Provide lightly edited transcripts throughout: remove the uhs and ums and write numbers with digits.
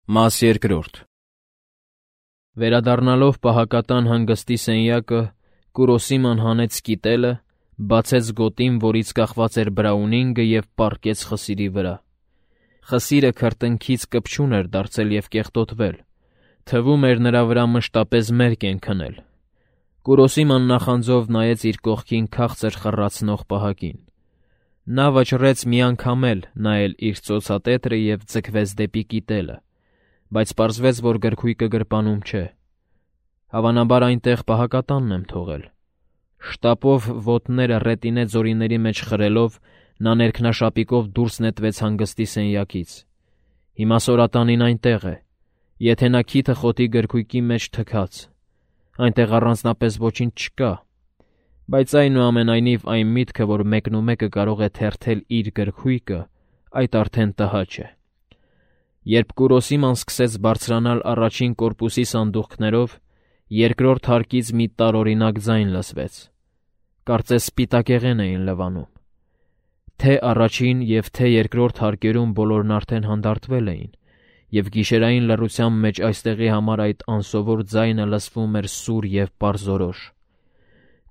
Մաս երկրորդ։ Վերադառնալով պահակատան հանգստի սենյակը, Կուրոսիման հանեց սկիտելը, բացեց գոտին, որից կախված էր բրաունինգը և պառկեց խսիրի վրա։ Խսիրը քրտնքից կպչուն էր դարձել և կեղտոտվել, թվում էր նրա վրա մշտապես մերկ են քնել։ Կուրոսիման նախանձով նայեց իր կողքին քաղցր խռացնող պահակին։ Նա վճռեց մի անգամ էլ նայել իր ծոցատետրը և ձգվեց դեպի կիտելը, բայց պարզվեց, որ գրքույկը գրպանում չէ։ Հավանաբար այնտեղ պահակատանն եմ թողել։ Շտապով ոտները ռետինե ձորիների մեջ խրելով, նա ներքնաշապիկով դուրս նետվեց հանգստի սենյակից։ Հիմա Սորատանին այնտեղ է, եթե նա քիթը խոտի գրքույկի մեջ թքած։ Այնտեղ առանձնապես ոչինչ չկա, բայց այնուամենայնիվ այն միտքը, որ մեկնումեկը կարող է թերթել իր գրքույկը, այդ արդեն տհաճ է։ Երբ Կուրոսիման սկսեց բարձրանալ առաջին կորպուսի սանդուղքներով, երկրորդ հարկից մի տարօրինակ ձայն լսվեց։ Կարծես սպիտակեղեն էին լվանում։ Թե առաջին և թե երկրորդ հարկերում բոլորն արդեն հանդարտվել էին, և գիշերային լռության մեջ այստեղի համար այդ անսովոր ձայնը լսվում էր սուր և պարզորոշ։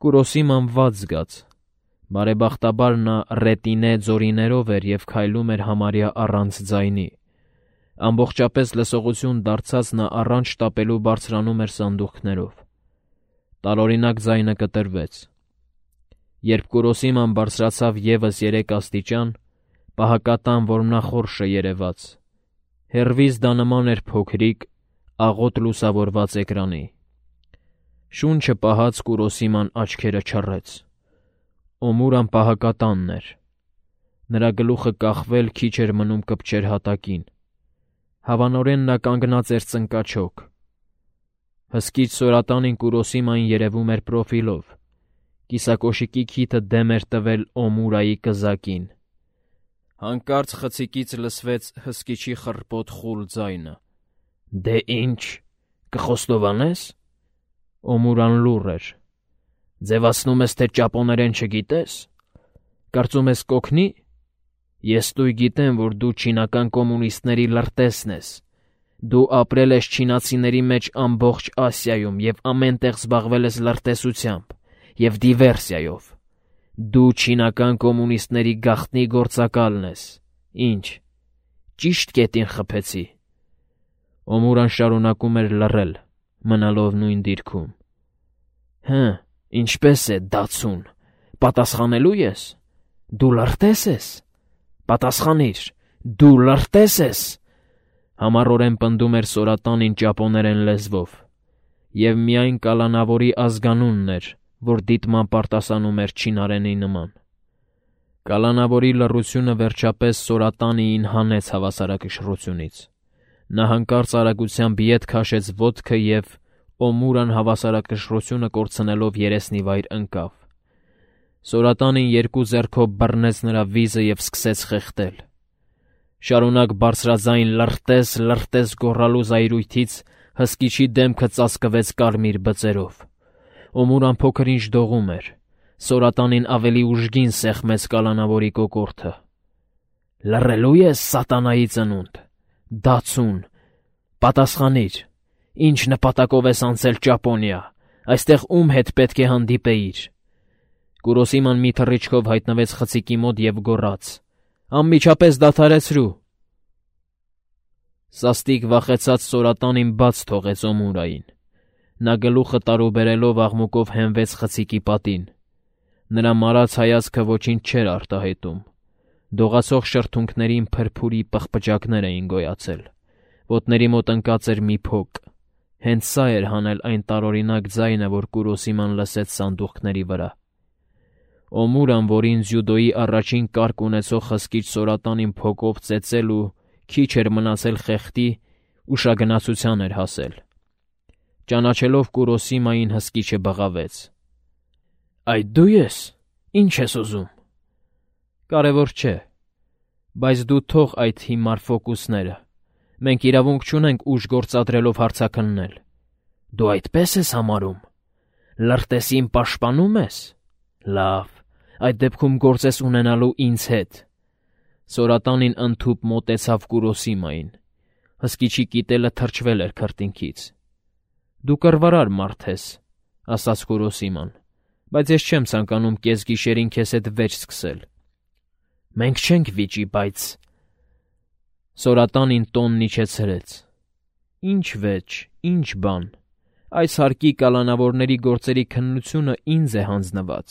Կուրոսիման վատ զգաց։ Բարեբախտաբար նա ռետինե ձորիներով էր և քայլում էր համարյա առանց ձայնի։ Ամբողջապես լսողություն դարձած նա առանց շտապելու բարձրանում էր սանդուղքներով։ Տարօրինակ ձայնը կտրվեց։ Երբ Կուրոսիման բարձրացավ ևս 3 աստիճան, պահակատան որմնախորշը երևաց։ Հեռվից դա նման էր փոքրիկ, աղոտ լուսավորված էկրանի։ Շունչը պահած Կուրոսիման աչքերը չռեց։ Օմուրան պահակատանն էր։ Նրա գլուխը կախվել քիչ էր մնում կպչեր հատակին։ Հավանորեն նա կանգնած էր ծնկաչոք։ Հսկիչ Սորատանին Կուրոսիմային երևում էր պրոֆիլով։ Կիսակոշիկի քիթը դեմ էր տվել Օմուրայի կզակին։ Հանկարծ խցիկից լսվեց հսկիչի խռպոտ խուլ ձայնը։ «Դե ինչ, կխոստովանե՞ս»։ Օմուրան լուռ էր։ «Ձևացնում ես, թե ճապոներեն չգիտես։ Կարծում ես կօգնի։ Ես տույր գիտեմ, որ դու չինական կոմունիստների լրտեսն ես։ Դու ապրել ես չինացիների մեջ ամբողջ Ասիայում և ամեն տեղ զբաղվել ես լրտեսությամբ և դիվերսիայով։ Դու չինական կոմունիստների գաղտնի գործակալն ես։ Ինչ, ճիշտ կետին խփեցի»։ Օմուրան շարունակում էր լռել, մնալով նույն դիրքում։ «Հը, ինչպես է, դացուն, պատասխանելու ես։ Դու լրտես ես։ Պատասխանիր, դու լրտես ես», համառորեն պնդում էր Սորատանին ճապոներեն լեզվով, և միայն կալանավորի ազգանունն էր, որ դիտմամբ արտասանում էր չինարենի նման։ Կալանավորի լռությունը վերջապես Սորատանիին հանեց հավասարակշռությունից։ Նա հանկարծ արագությամբ ետ քաշեց ոտքը և Օմուրան հավասարակշռությունը կորցնելով երեսնի վայր ընկավ։ Սորատանին 2 ձեռքով բռնեց նրա վիզը և սկսեց խեղդել։ Շարունակ բարձրաձայն «լրտես, լրտես» գոռալու զայրույթից հսկիչի դեմքը ծածկվեց կարմիր բծերով։ Օմուրան փոքր-ինչ դողում էր։ Սորատանին ավելի ուժգին սեղմեց կալանավորի կոկորդը։ «Լռելու ես, սատանայի ծնունդ, դացուն, պատասխանիր, ինչ նպատակով ես անցել Ճապոնիա, այստեղ ում հետ պետք է հանդիպեիր»։ Կուրոսիման մի թռիչքով հայտնվեց խցիկի մոտ և գոռաց. «Անմիջապես դադարեցրու»։ Սաստիկ վախեցած Սորատանին բաց թողեց Օմուրային։ Նա գլուխը տարուբերելով աղմուկով հենվեց խցիկի պատին։ Նրա մարած հայացքը ոչինչ չէր արտահայտում։ Դողացող շրթունքներին փրփուրի պղպջակներ էին գոյացել։ Ոտների մոտ ընկած էր մի փոկ։ Հենց սա էր հանել այն տարօրինակ ձայնը, որ Կուրոսիման լսեց սանդուղքների վրա։ Օմուրան, որին ձյուդոյի առաջին կարգ ունեցող հսկիչ Սորատանին փոկով ծեծել ու քիչ էր մնացել խեղդի, ուշագնացության էր հասել։ Ճանաչելով Կուրոսիմային, հսկիչը բղավեց. «Այդ դու ես, ինչ ես ուզում»։ «Կարևոր չէ, բայց դու թող այդ հիմար ֆոկուսները։ Մենք իրավունք չունենք ուժ գործադրելով հարցաքննել»։ «Դու այդպես ես համարում։ Լրտեսին պաշտպանում ես։ Լավ, այդ դեպքում գործ ես ունենալու ինձ հետ»։ Սորատանին ընդհուպ մոտեցավ Կուրոսիմային։ Հսկիչի կիտելը թրջվել էր քրտինքից։ «Դու կռվարար մարդ ես», ասաց Կուրոսիման, «բայց ես չեմ ցանկանում կեսգիշերին քեզ հետ վեճ սկսել»։ «Մենք չենք վիճի, բայց…» Սորատանին տոնն իջեցրեց։ «Ինչ վեճ, ինչ բան։ Այս հարկի կալանավորների գործերի քննությունը ինձ է հանձնված,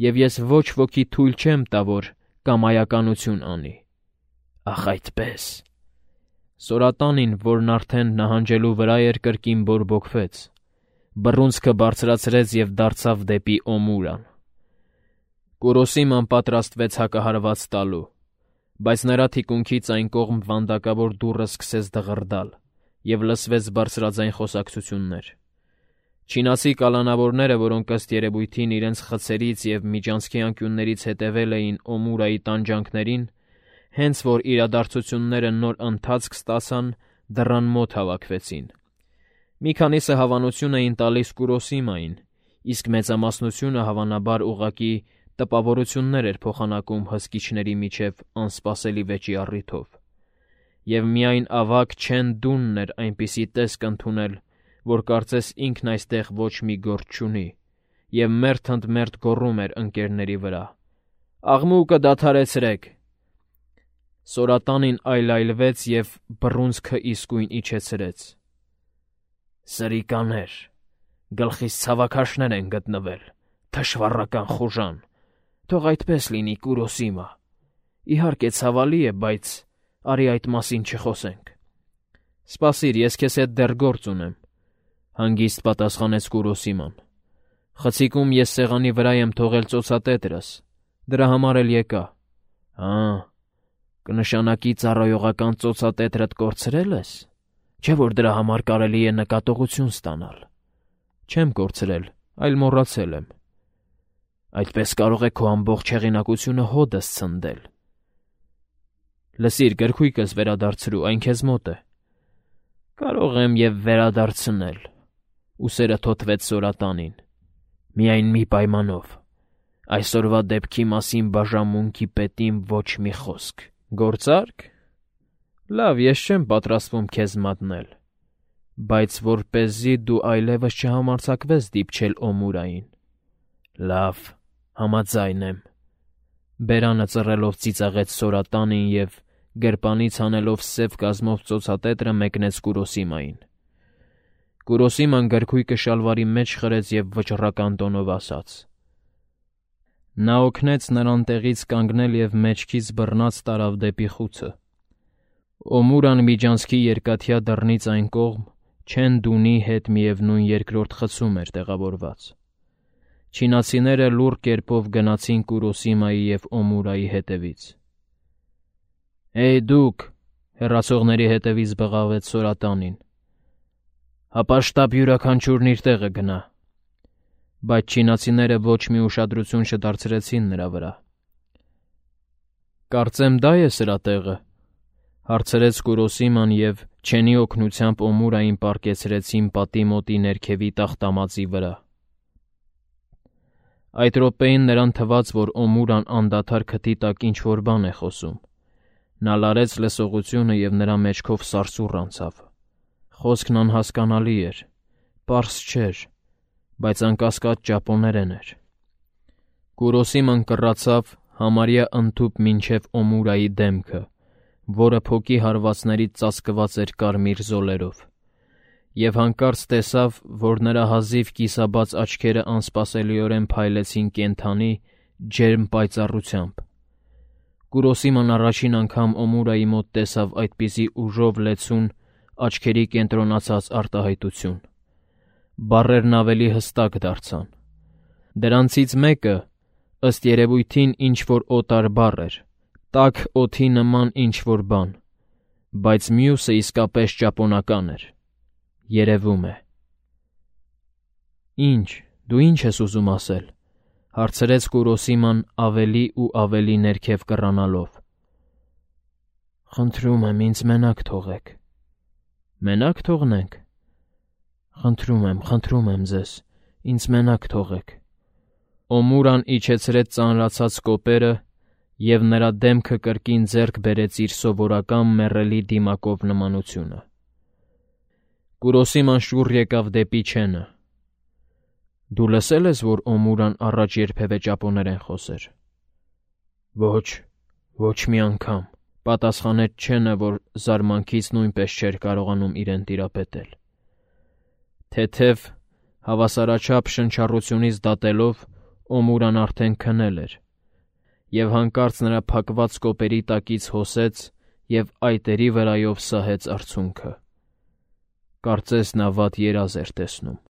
և ես ոչ ոքի թույլ չեմ տա, որ կամայականություն անի»։ «Ախ, այդպե՜ս»։ Սորատանին, որն արդեն նահանջելու վրա էր, կրկին բորբոքվեց, բռունցքը բարձրացրեց և դարձավ դեպի Օմուրան։ Կուրոսիման պատրաստվեց հակահարված տալու, բայց նրա թիկունքից այն կողմ վանդակավոր դուռը սկսեց դղրդալ, և լսվեց բարձրաձայն խոսակցություններ։ Չինացի կալանավորները, որոնք ըստ երևույթին իրենց խցերից և միջանցքի անկյուններից հետևել էին Օմուրայի տանջանքներին, հենց որ իրադարձությունները նոր ընթացք ստացան, դռան մոտ հավաքվեցին։ Մի քանիսը հավանություն էին տալիս Կուրոսիմային, իսկ մեծամասնությունը հավանաբար ուղղակի տպավորություններ էր փոխանակում հսկիչների միջև անսպասելի վեճի առիթով։ Եվ միայն ավագ Չեն Դունն էր այնպիսի տեսք ընդունել, որ կարծես ինքն այստեղ ոչ մի գործ չունի, և մերթ ընդ մերթ գոռում էր ընկերների վրա. «Աղմուկը դադարեցրեք»։ Սորատանին այլայլվեց և բռունցքը իսկույն իջեցրեց։ «Սրիկաներ, գլխիս ցավաքաշներ են գտնվել, թշվառական խուժան, թող այդպես լինի, Կուրոսիմա։ Իհարկե ցավալի է, բայց արի այդ մասին չխոսենք»։ «Սպասիր, ես քեզ հետ դեռ գործ ունեմ», հանգիստ պատասխանեց Կուրոսիման։ «Խցիկում ես սեղանի վրա եմ թողել ծոցատետրս, դրա համար էլ եկա»։ «Հա, կնշանակի ծառայողական ծոցատետրդ կորցրել ես, չէ՞ որ դրա համար կարելի է նկատողություն ստանալ»։ «Չեմ կորցրել, այլ մոռացել եմ»։ «Այդպես կարող է քո ամբողջ հեղինակությունը հօդս ցնդել»։ «Լսիր, գրքույկս վերադարձրու, այն քեզ մոտ է»։ «Կարող եմ և վերադարձնել», ուսերը թոթվեց Սորատանին։ «Միայն մի պայմանով. այսօրվա դեպքի մասին բաժանմունքի պետին ոչ մի խոսք։ Գործա՞րք։ Լավ, ես չեմ պատրաստվում քեզ մատնել, բայց որպեսզի դու այլևս չհամարձակվես դիպչել Օմուրային»։ «Լավ, համաձայն եմ», բերանը ծռելով ծիծաղեց Սորատանին և, գրպանից հանելով սև կազմով ծոցատետրը, մեկնեց Կուրոսիմային։ Կուրոսիման գրքույկը շալվարի մեջ խրեց և վճռական տոնով ասաց. Նա օգնեց նրան տեղից կանգնել և մեջքից բռնած տարավ դեպի խուցը։ Օմուրան միջանցքի երկաթյա դռնից այն կողմ Չեն Դունի հետ միևնույն երկրորդ խցում էր տեղավորված։ Չինացիները լուռ կերպով գնացին Կուրոսիմայի և Օմուրայի հետևից։ «Էյ դուք», հեռացողների հետևից բղավեց Սորատանին, «հապաշտապ յուրաքանչյուրն իր տեղը գնա»։ Բայց չինացիները ոչ մի ուշադրություն չդարձրեցին նրա վրա։ «Կարծեմ դա է սրա տեղը», հարցրեց Կուրոսիման և Չենի օգնությամբ Օմուրային պառկեցրեցին պատի մոտի ներքևի տախտամածի վրա։ Այդ րոպեին նրան թվաց, որ Օմուրան անդադար քթի տակ ինչ-որ բան է խոսում։ Նա լարեց լսողությունը և նրա մեջքով սարսուռ անցավ։ Խոսքն անհասկանալի էր, պարզ չէր, բայց անկասկած ճապոներեն էր։ Կուրոսիման կռացավ համարյա ընդհուպ մինչև Օմուրայի դեմքը, որը փոկի հարվածներից ծածկված էր կարմիր զոլերով, և հանկարծ տեսավ, որ նրա հազիվ կիսաբաց աչքերը անսպասելիորեն փայլեցին կենդանի, ջերմ պայծառությամբ։ Կուրոսիման առաջին անգամ Օմուրայի մոտ տեսավ այդպիսի ուժով լեցուն, աչքերի կենտրոնացած արտահայտություն։ Բառերն ավելի հստակ դարձան։ Դրանցից մեկը, ըստ երևույթին, ինչ-որ օտար բառ էր, տաք օդի նման ինչ-որ բան, բայց մյուսը իսկապես ճապոնական էր։ Երևում է։ «Ինչ, դու ինչ ես ուզում ասել», հարցրեց Կուրոսիման ավելի ու ավելի ներքև կռանալով։ «Խնդրում եմ, ինձ մենակ թողեք»։ «Մենակ թողնենք»։ Խնդրում եմ ձեզ, ինձ մենակ թողեք»։ Օմուրան իջեցրեց ծանրացած կոպերը և նրա դեմքը կրկին ձեռք բերեց իր սովորական մեռելի դիմակով նմանությունը։ Կուրոսի ման շուռ եկավ դեպի չենը։ «Դու լսել ես, որ Օմուրան առաջ երբևէ ճապոներեն խոսեր»։ Ոչ մի անգամ, պատասխանեց չենը, որ զարմանքից նույնպես չէր կարողանում իրեն տիրապետել։ Թեթև, հավասարաչափ շնչառությունից դատելով Օմուրան արդեն քնել էր, և հանկարծ նրա փակված կոպերի տակից հոսեց և այտերի վրայով սահեց արցունքը։ Կարծես նա վատ երազ էր տեսնում։